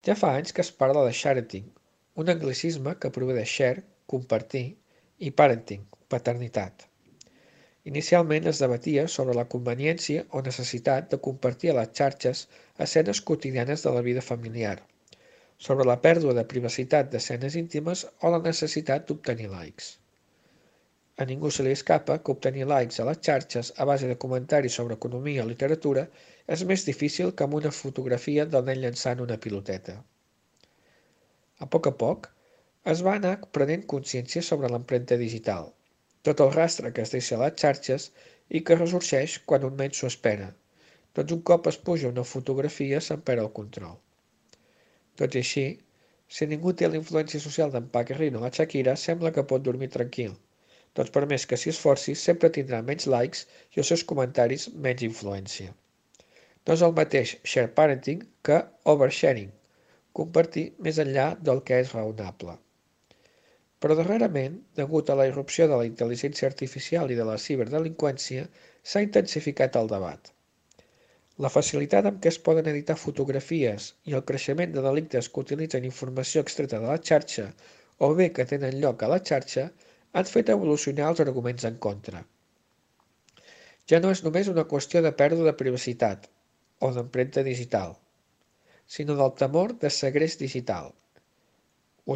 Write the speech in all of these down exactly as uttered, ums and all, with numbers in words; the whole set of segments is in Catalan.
Ja fa anys que es parla de sharenting, un anglicisme que prové de share, compartir, i parenting, paternitat. Inicialment es debatia sobre la conveniència o necessitat de compartir a les xarxes escenes quotidianes de la vida familiar, sobre la pèrdua de privacitat d'escenes íntimes o la necessitat d'obtenir likes. A ningú se li escapa que obtenir likes a les xarxes a base de comentaris sobre economia o literatura és més difícil que amb una fotografia del nen llançant una piloteta. A poc a poc, es va anar prenent consciència sobre l'empremta digital, tot el rastre que es deixa a les xarxes i que ressorgeix quan un menys s'ho espera. Doncs un cop es puja una fotografia se'n perd el control. Tot i així, si ningú té la influència social d'en Paquirrin o la Shakira, sembla que pot dormir tranquil. Doncs per més que s'hi esforci, sempre tindrà menys likes i els seus comentaris menys influència. No és el mateix share parenting que oversharing, compartir més enllà del que és raonable. Però darrerament, degut a la irrupció de la intel·ligència artificial i de la ciberdelinqüència, s'ha intensificat el debat. La facilitat amb què es poden editar fotografies i el creixement de delictes que utilitzen informació extreta de la xarxa o bé que tenen lloc a la xarxa han fet evolucionar els arguments en contra. Ja no és només una qüestió de pèrdua de privacitat o d'empremta digital, sinó del temor de segrest digital.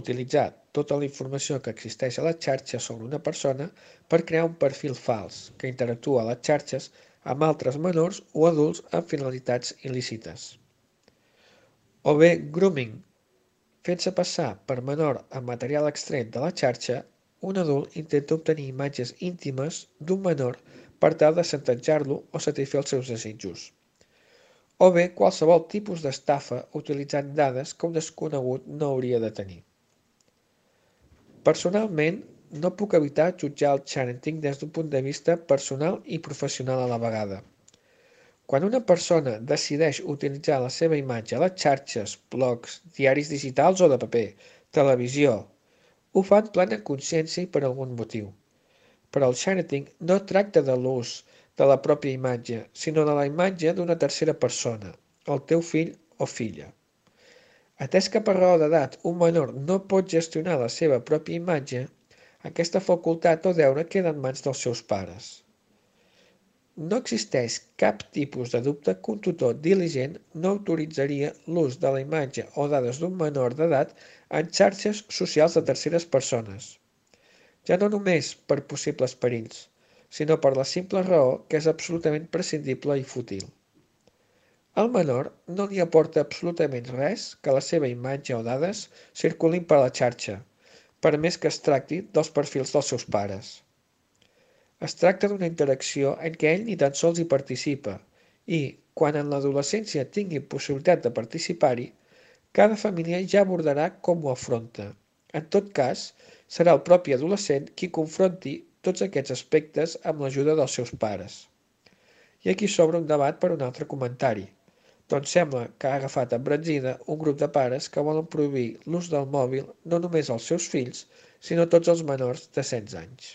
Utilitzar tota la informació que existeix a la xarxa sobre una persona per crear un perfil fals que interactua a les xarxes amb altres menors o adults amb finalitats il·lícites. O bé grooming, fent-se passar per menor amb material extret de la xarxa, un adult intenta obtenir imatges íntimes d'un menor per tal de chantatjar-lo o satisfer els seus desitjos. O bé qualsevol tipus d'estafa utilitzant dades que un desconegut no hauria de tenir. Personalment, no puc evitar jutjar el parenting des d'un punt de vista personal i professional a la vegada. Quan una persona decideix utilitzar la seva imatge a les xarxes, blogs, diaris digitals o de paper, televisió, ho fa en plena consciència i per algun motiu. Però el parenting no tracta de l'ús de la pròpia imatge, sinó de la imatge d'una tercera persona, el teu fill o filla. Atès que per raó d'edat un menor no pot gestionar la seva pròpia imatge, aquesta facultat o deure queda en mans dels seus pares. No existeix cap tipus de dubte que un tutor diligent no autoritzaria l'ús de la imatge o dades d'un menor d'edat en xarxes socials de terceres persones, ja no només per possibles perills, sinó per la simple raó que és absolutament prescindible i fútil. Al menor no li aporta absolutament res que la seva imatge o dades circulin per la xarxa, per més que es tracti dels perfils dels seus pares. Es tracta d'una interacció en què ell ni tan sols hi participa i, quan en l'adolescència tingui possibilitat de participar-hi, cada família ja abordarà com ho afronta. En tot cas, serà el propi adolescent qui confronti tots aquests aspectes amb l'ajuda dels seus pares. I aquí s'obre un debat per un altre comentari. Doncs sembla que ha agafat embranzida un grup de pares que volen prohibir l'ús del mòbil no només als seus fills, sinó a tots els menors de setze anys.